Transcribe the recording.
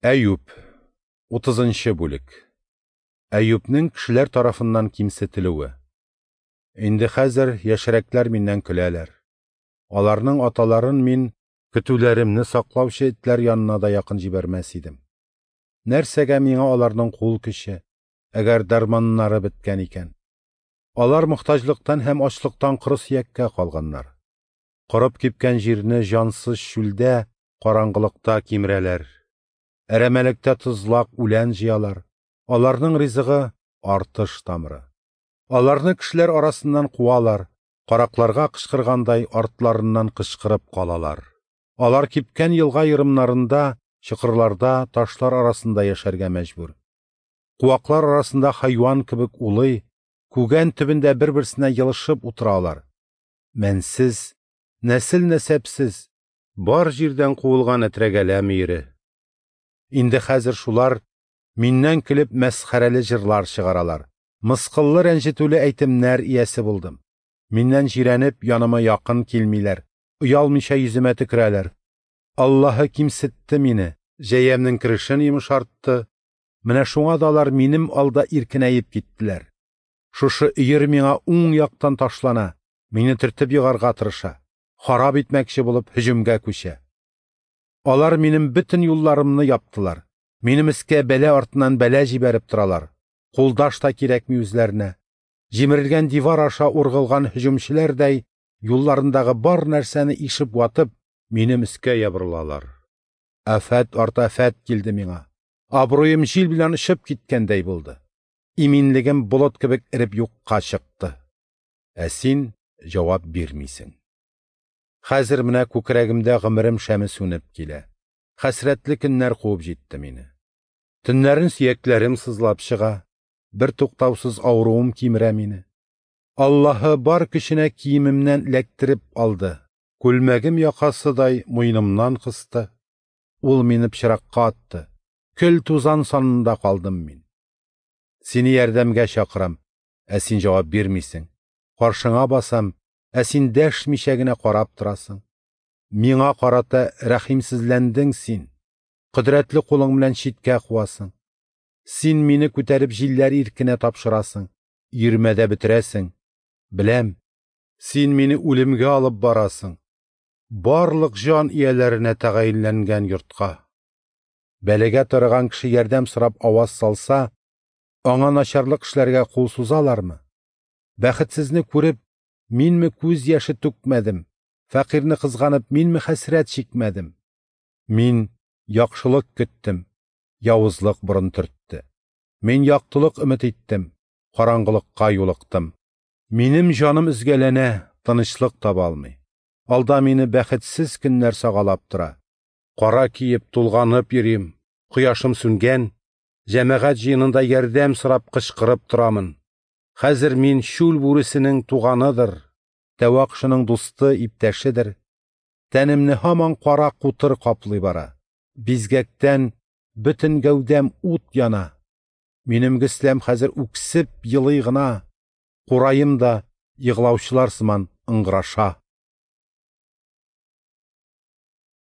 Әюп, 30 бүлек. Әюпнең кешеләр тарафыннан кимсетелүе. Инде хәзер яшьрәкләр миннән көләләр. Аларның аталарын мин көтүләремне саклаучы этләр янына да якын җибәрмәс идем. Нәрсәгә миңа аларның кул көче, әгәр дәрманнары беткән икән? Алар мохтаҗлыктан һәм ачлыктан коры сөяккә калганнар. Корып кипкән җирне җансыз чүлдә, караңгылыкта кимерәләр. Әрәмәлектә тозлак үлән җыялар. Аларның ризыгы артыш тамыры. Аларны кешеләр арасыннан куалар, каракларга кычкыргандай артларыннан кычкырып калалар. Алар кипкән елга ерымнарында, чокырларда, ташлар арасында яшәргә мәҗбүр. Куаклар арасында хайван кебек улый, күгән төбендә бер-берсенә елышып утыралар. Мәнсез, нәсел-нәсәпсез, бар җирдән куылган әтрәгәлә мөере. Инде хәзер шулар миннән көлеп мәсхәрәле җырлар чыгаралар. Мыскыллы рәнҗетүле әйтемнәр иясе булдым. Миннән җирәнеп яныма якын килмиләр. Оялмыйча йөземә төкерәләр. Аллаһы кимсетте мине, җәямнең керешен йомшартты. Менә шуңа да алар минем алда иркенәеп киттеләр. Шушы өер миңа уң яктан ташлана, мине төртеп егарга тырыша, харап итмәкче булып һөҗүмгә күчә. Алар минем бөтен юлларымны яптылар. Минем өскә бәлә артыннан бәлә җибәреп торалар. Кулдаш та кирәкми үзләренә. Җимерелгән дивар аша ургылган һөҗүмчеләрдәй юлларындагы бар нәрсәне ишеп ватып, минем өскә ябырылалар. Афәт арты афәт килде миңа. Абруем җил белән очып киткәндәй булды. Иминлегем болыт кебек эреп юкка чыкты. Ә син җавап бирмисең. Хәзер менә күкрәгемдә гомерем шәме сүнеп килә. Хәсрәтле көннәр куып җитте мине. Төннәрен сөякләрем сызлап чыга, бер туктаусыз авыруым кимерә мине. Аллаһы бар көченә киемемнән эләктереп алды. Күлмәгем якасыдай муенымнан кысты. Ул мине пычракка атты. Көл тузан санында калдым мин. Сине ярдәмгә чакырам, ә син җавап бирмисең. Каршыңа басам, ә син дәшмичә генә карап торасың. Миңа карата рәхимсезләндең син. Кодрәтле кулың белән читкә куасың. Син мине күтәреп җилләр иркенә тапшырасың, йөрмәдә бетерәсең. Беләм, син мине үлемгә алып барасың. Барлык җан ияләренә тәгаенләнгән йортка. Бәләгә тарыган кеше ярдәм сорап аваз салса, аңа начарлык эшләргә кул сузалармы? Бәхетсезне күреп, минме күз яше түкмәдем, фәкыйрьне кызганып, минме хәсрәт чикмәдем? Мин яхшылык көттем, явызлык борын төртте. Мин яктылык өмет иттем, караңгылыкка юлыктым. Минем җаным өзгәләнә, тынычлык таба алмый. Алда мине бәхетсез көннәр сагалап тора. Кара киеп, тулганып йөрим, кояшым сүнгән, җәмәгать җыенында ярдәм сорап кычкырып торамын. Хәзер мин чүл бүресенең туганыдыр, тәвә кошының дусты, иптәшедер. Тәнемне һаман кара кутыр каплый бара. Бизгәктән бөтен гәүдәм ут яна. Минем гөсләм хәзер үксеп елый гына. Кураем да егълаучылар сыман ыңгыраша.